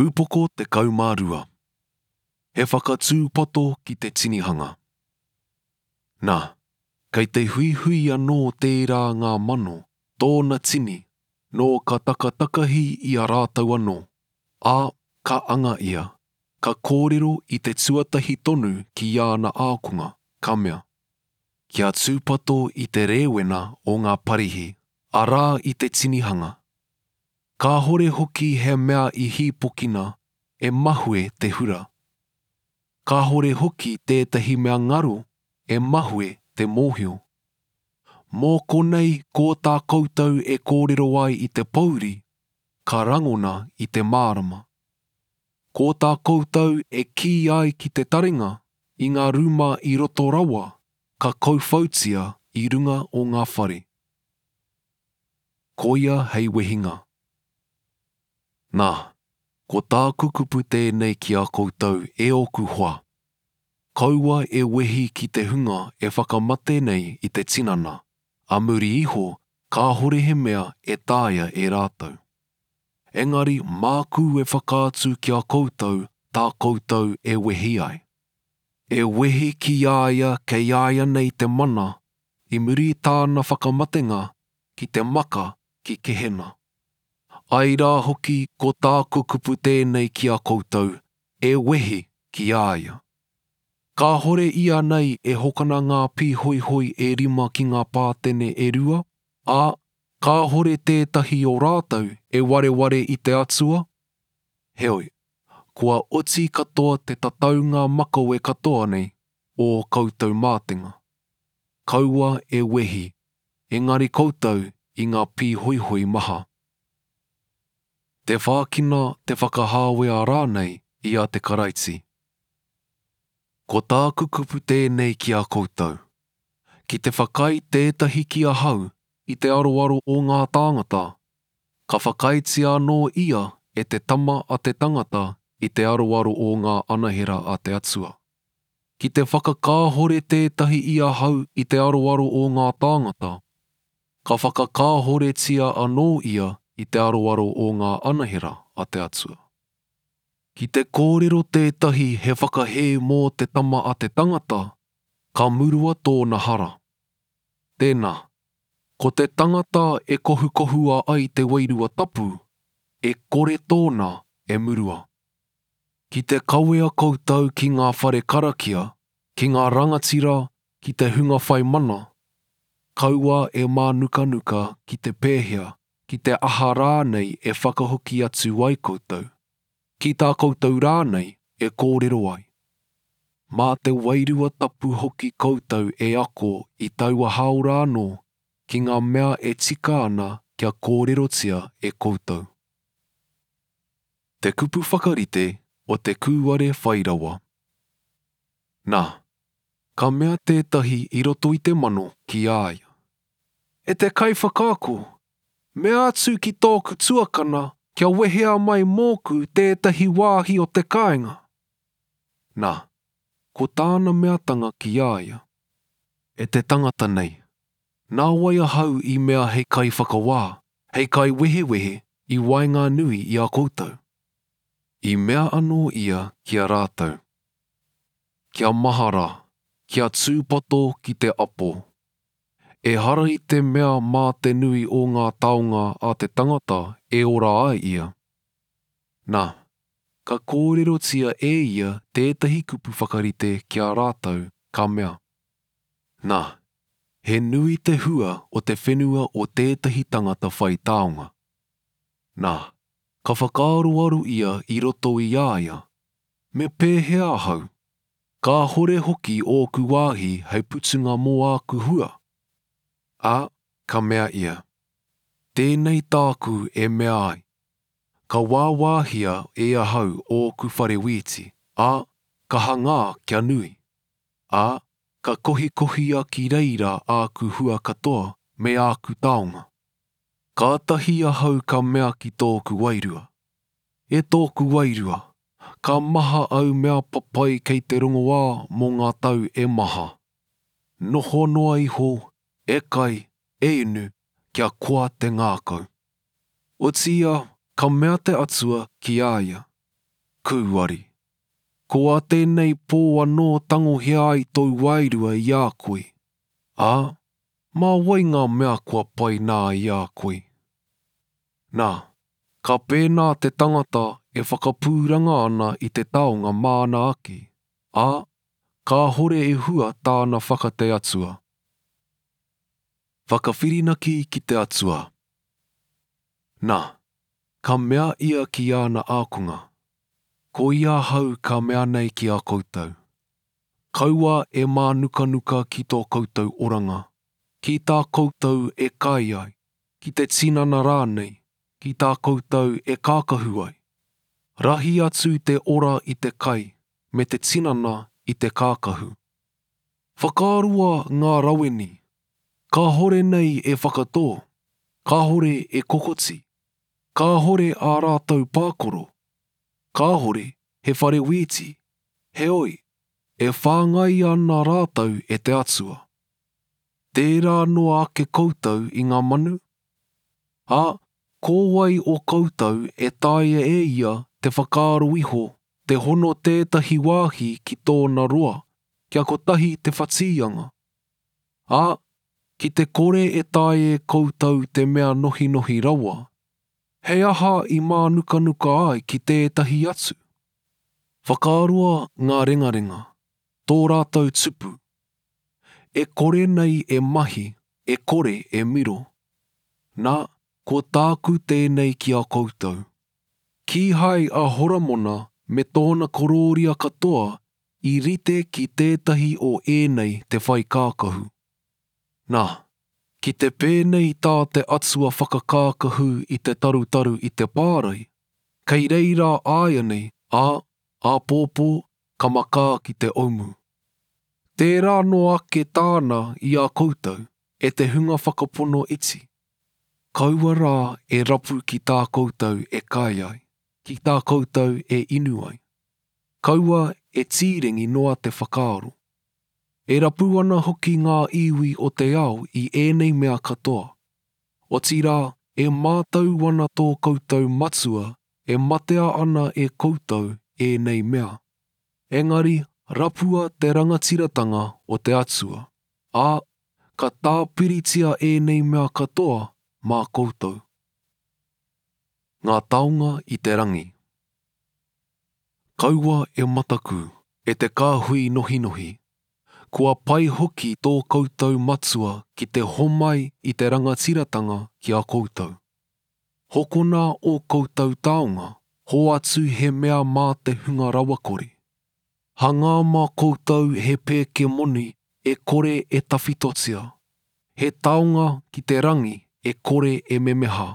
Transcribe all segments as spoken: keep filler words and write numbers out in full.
Upoko tekau mā rua. He whakatūpato ki te tinihanga. Nā, kei te huihui anō tērā ngā mano, tōna tini, nō ka takatakahi i a rātou anō, ā, ka anga ia, ka kōrero i te tuatahi tonu ki āna ākonga, ka mea, Kia tūpato i te rēwena o ngā Parihi, arā i te tinihanga. Kāhore hoki he mea i hīpokina e mahue te hura. Kāhore hoki tētahi mea ngaro e mahue te mōhio. Mō konei ko tā koutou e kōrero ai i te pōuri, ka rangona i te mārama. Ko tā koutou e kī ai ki te taringa i ngā rūma i roto rawa, ka kauwhautia i runga o ngā whare. Koia hei wehinga. Nā, ko tāku kupu tēnei ki a koutou e ōku hoa. Kaua e wehi ki te hunga e whakamate nei i te tinana, a muri iho kāhore he mea e taea e rātou. Engari māku e whakaatu ki a koutou tā koutou e wehi ai. E wehi ki a ia kei a ia nei te mana i muri i tāna whakamatenga ki te maka ki Kehena. Ai rā hoki ko tāku kupu tēnei ki a koutou, e wehi ki a ia. Kāhore ia nei e hokona ngā pīhoihoi e rima ki ngā pātene e rua, ā, kāhore tētahi o rātou e wareware i te Atua? Heoi, kua oti katoa te tataunga makawe katoa nei o ō koutou mātenga. Kaua e wehi, engari koutou i ngā pīhoihoi maha. Te whākina, te whakahāwea rānei i a te Karaiti. Ko tāku kupu tēnei ki a koutou. Ki te whakaae tētahi ki ahau i te aroaro o ngā tāngata, ka whakaaetia anō ia e te Tama a te tangata i te aroaro o ngā anahera a te Atua. Ki te whakakāhore tētahi i ahau i te aroaro o ngā tāngata, ka whakakāhoretia anō ia i te aroaro o ngā anahera a te Atua. Ki te kōrero tētahi he whakahē mō te Tama a te tangata, ka murua tōna hara. Tēnā, ko te tangata e kohukohua ai te Wairua Tapu, e kore tōna e murua. Ki te kawea koutou ki ngā whare karakia, ki ngā rangatira, ki te hunga whai mana, kaua e mānukanuka ki te pēhea, ki te aha rānei e whakahoki atu ai koutou, ki tā koutou rānei e kōrero ai. Mā te Wairua Tapu hoki koutou e ako i taua hāora anō ki ngā mea e tika ana kia kōrerotia e koutou. Te kupu whakarite o te kūare whai rawa. Nā, ka mea tētahi i roto i te mano ki a ia, E te Kaiwhakaako, mea atu ki tōku tuakana kia wehea mai mōku tētahi wāhi o te kāinga. Nā, ko tāna meatanga ki a ia, E te tangata nei, nā wai ahau i mea hei kaiwhakawā, hei kaiwehewehe i waenganui i a koutou? I mea anō ia ki a rātou, Kia mahara, kia tūpato ki te apo. Ehara i te mea mā te nui o ngā taonga a te tangata e ora ai ia. Nā, ka kōrerotia e ia tētahi kupu whakarite ki a rātou, ka mea, Nā, he nui te hua o te whenua o tētahi tangata whai taonga. Nā, ka whakaaroaro ia i roto i a ia, Me pēhea ahau? Kāhore hoki ōku wāhi hei putunga mō āku hua. Ā, ka mea ia, Tēnei tāku e mea ai, Ka wāwāhia e ahau ōku whare wīti, ā, ka hangā kia nui. Ā, ka kohikohia ki reira āku hua katoa me āku taonga. Kātahi ahau ka mea ki tōku wairua, E tōku wairua, ka maha au mea papai kei te rongoā mō ngā tau e maha. Noho noa iho, e kai, e inu, kia koa te ngākau. Otiia, ka mea te Atua ki a ia, Kūari! Ko ā tēnei pō anō tangohia ai tōu wairua i a koe, ā, mā wai ngā mea kua pai nā i a koe? Nā, ka pēnā te tangata e whakapūranga ana i te taonga māna ake, ā, kāhore e hua tāna whaka-te Atua. Whakawhirinaki ki te Atua. Nā, ka mea ia ki āna ākonga, Ko ia ahau ka mea nei ki a koutou, Kaua e mānukanuka ki tō koutou oranga, ki tā koutou e kai ai, ki te tinana rānei, ki tā koutou e kākahu ai. Rahi atu te ora i te kai, me te tinana i te kākahu. Whakaaroa ngā raweni, kāhore nei e whakatō, kāhore e kokoti, kāhore ā rātou pākoro, kāhore he whare wīti, heoi, e whāngaia ana rātou e te Atua. Tērā noa ake koutou i ngā manu? Ā, ko wai o koutou e taea e ia te whakaaro iho te hono tētahi wāhi ki tōna roa, kia kotahi te whatīanga? Ā, ki te kore e taea e koutou te mea nohinohi rawa, he aha i mānukanuka ai ki tētahi atu? Whakaaroa ngā rengarenga, tō rātou tupu. E kore nei e mahi, e kore e miro. Nā, ko tāku tēnei ki a koutou. Kīhai a Horomona me tōna korōria katoa i rite ki tētahi o ēnei te whai kākahu. Nā, ki te pēnei tā te Atua whakakākahu i te tarutaru i te pārae, kei reira āianei, ā, āpōpō ka makā ki te oumu. Tērā noa ake tāna i a koutou, e te hunga whakapono iti. Kaua rā e rapu ki tā koutou e kai ai, ki tā koutou e inu ai. Kaua e tīrengi noa te whakaaro. E rapu ana hoki ngā iwi o te ao i ēnei mea katoa. Otirā, e mātau ana tō koutou Matua e matea ana e koutou ēnei mea. Engari rapua te rangatiratanga o te Atua, ā, ka tāpiritia ēnei mea katoa mā koutou. Ngā taonga i te rangi. Kaua e mataku, e te kāhui nohinohi. Kua pai hoki tō koutou Matua ki te homai i te rangatiratanga ki a koutou. Hokona ō koutou taonga, hoatu he mea mā te hunga rawakore. Hangā mā koutou he pēke moni e kore e tawhitotia, he taonga ki te rangi e kore e memeha,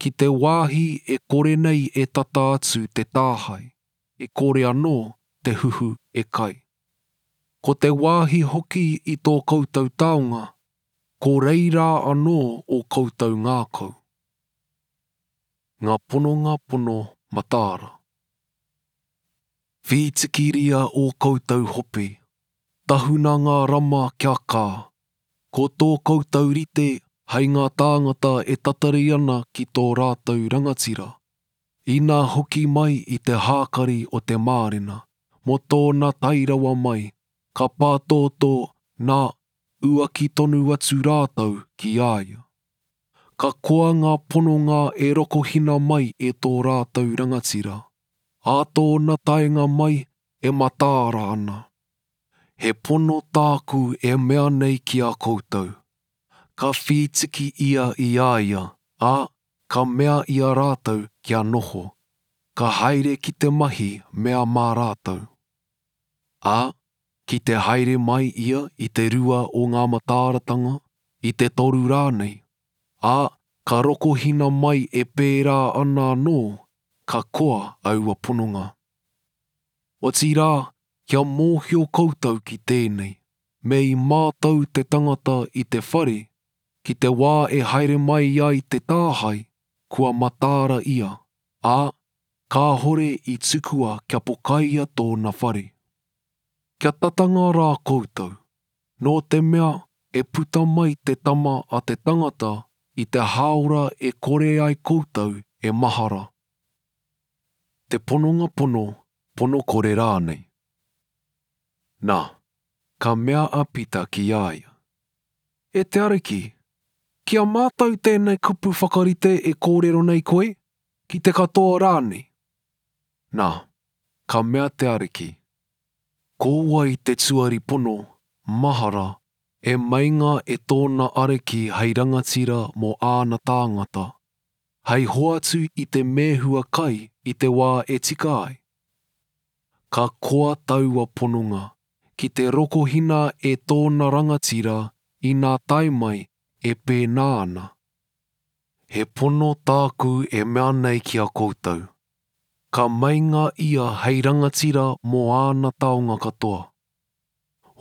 ki te wāhi e kore nei e tata atu te tāhae, e kore anō te huhu e kai. Ko te wāhi hoki i tō koutou taonga, ko reira anō ō koutou ngākau. Ngā pononga pono mataara. Whītikiria ō koutou hope, tahuna ngā rama kia kā, ko tō koutou rite hei ngā tāngata e tatari ana ki tō rātou rangatira. Inā hoki mai i te hākari o te mārena, mō tōna tairawa mai, ka pātōtō, nā, uaki tonu atu rātou ki a ia. Ka koa ngā pononga e rokohina mai e tō rātou rangatira, ā tōna taenga mai e mataara ana. He pono tāku e mea nei ki a koutou. Ka whītiki ia i a ia, ā, ka mea i a rātou kia noho, ka haere ki te mahi mea mā rātou. Ā, ki te haere mai ia i te rua o ngā mataaratanga, i te toru rānei, ā, ka rokohina mai e pērā ana anō, ka koa aua pononga. Otirā, kia mōhio koutou ki tēnei, me i mātau te tangata i te whare, ki te wā e haere mai ai te tāhae, kua mataara ia, ā, kāhore i tukua kia pokaia tōna whare. Kia tatanga rā koutou, nō te mea e puta mai te tama a te tangata i te hāora e kore ai koutou e mahara. te pononga pono, pono kore rānei. Nā, ka mea a Pita ki a ia, E te Ariki, ki a mātou tēnei kupu whakarite e kōrero nei koe, ki te katoa rānei? Nā, ka mea te Ariki, Ko wai te tuari pono, mahara, e meinga e tōna ariki hei rangatira mō āna tāngata, hei hoatu i te mēhua kai i te wā e tika ai? Ka koa taua pononga ki te rokohina e tōna rangatira inā tae mai e pēnā ana. He pono tāku e mea nei ki a koutou, ka meinga ia hei rangatira mō āna taonga katoa.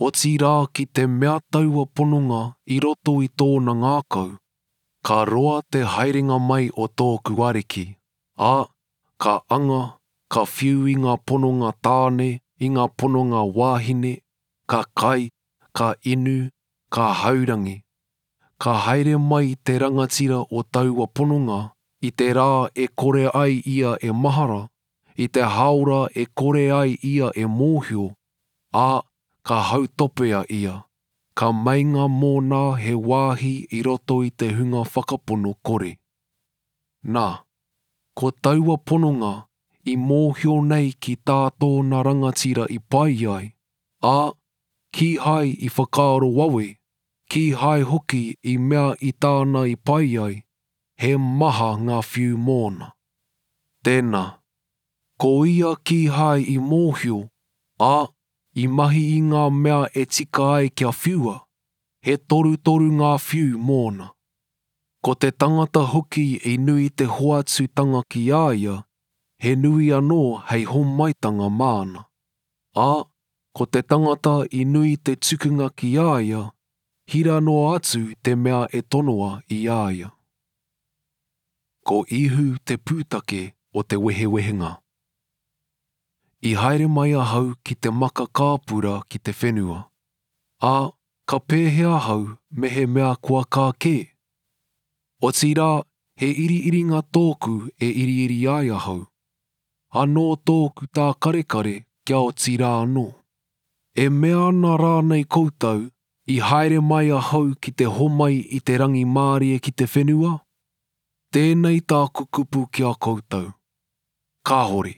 Otirā ki te mea taua pononga i roto i tōna ngākau, ka roa te haerenga mai o tōku ariki, ā, ka anga, ka whiu i ngā pononga tāne, i ngā pononga wāhine, ka kai, ka inu, ka haurangi. Ka haere mai te rangatira o taua pononga i te rā e kore ai ia e mahara, i te hāora e kore ai ia e mōhio, ā, ka hautopea ia, ka meinga mōna he wāhi i roto i te hunga whakapono kore. Nā, ko taua pononga i mōhio nei ki tā tōna rangatira i pai ai, ā, kīhai i whakaaro wawe, kīhai hoki i mea i tāna i pai ai, he maha ngā whiu mōna. Tēnā, ko ia kīhai i mōhio, ā, i mahi i ngā mea e tika ai kia whiua, he torutoru ngā whiu mōna. Ko te tangata hoki i nui te hoatutanga ki a ia, he nui anō hei homaitanga māna. Ā, ko te tangata i nui te tukunga ki a ia, hira noa atu te mea e tonoa i a ia. Ko Ihu te pūtake o te wehewehenga. I haere mai ahau ki te maka kāpura ki te whenua, ā, ka pēhea ahau mehemea kua kā kē? Otirā, he iriiringa tōku e iriiri ai ahau. Anō tōku tākarekare kia oti rā anō. E mea ana rānei koutou, i haere mai ahau ki te homai i te rangimārie ki te whenua? Tēnei tāku kupu ki a koutou. Kāhore,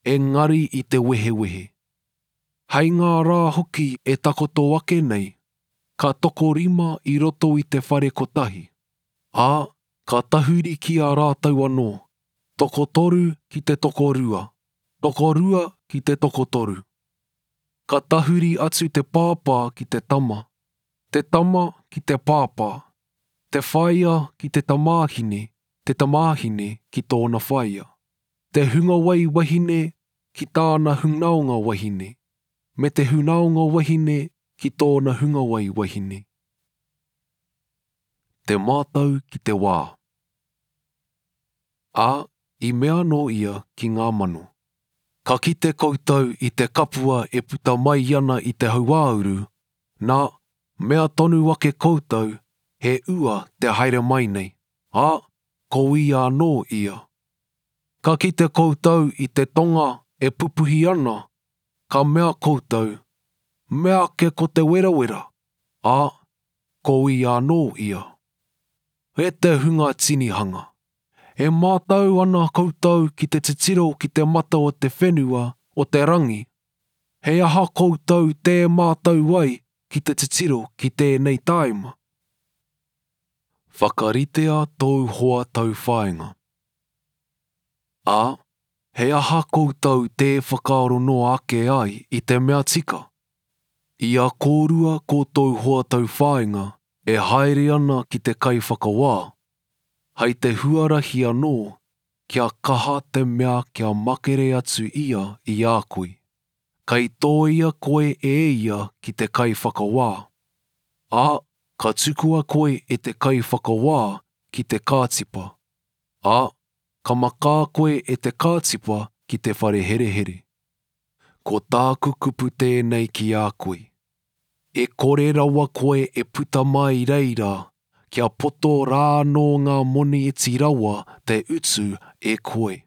engari i te wehewehe. Hei ngā rā hoki e takoto ake nei, ka tokorima i roto i te whare kotahi, ā, ka tahuri ki a rātou anō, tokotoru ki te tokorua, tokorua ki te tokotoru. Ka tahuri atu te pāpā ki te tama, te tama ki te pāpā, te whaea ki te tamāhine, te tamāhine ki tōna whaea, te hungawai wahine ki tāna hunaonga wahine, me te hunaonga wahine ki tōna hungawai wahine. Te mātau ki te wā. Ā, i mea anō ia ki ngā mano. Ka kite koutou i te kapua e puta mai ana i te hauāuru, nā, mea tonu ake koutou, he ua te haere mai nei, ā, ko ia anō ia. Ka kite koutou i te tonga e pupuhi ana, ka mea koutou, mea ake ko te werawera, ā, ko ia anō ia. E te hunga tinihanga, e mātau ana koutou ki te titiro ki te mata o te whenua o te rangi, he aha koutou tē mātau ai ki te titiro ki tēnei tāima? Whakaritea tōu hoa tauwhāinga. Ā, he aha koutou tē whakaaro noa ake ai i te mea tika? I a kōrua ko tōu hoa tauwhāinga e haere ana ki te kaiwhakawā, hei te huarahi anō kia kaha te mea kia makere atu ia i a koe. Kei tōia koe e ia ki te kaiwhakawā. Ā, ka tukua koe e te kaiwhakawā ki te kātipa. Ā, ka makā koe e te kātipa ki te whare herehere. Ko tāku kupu tēnei ki a koe. E kore rawa koe e puta mai reira, kia poto rā anō ngā moni iti rawa te utu e koe.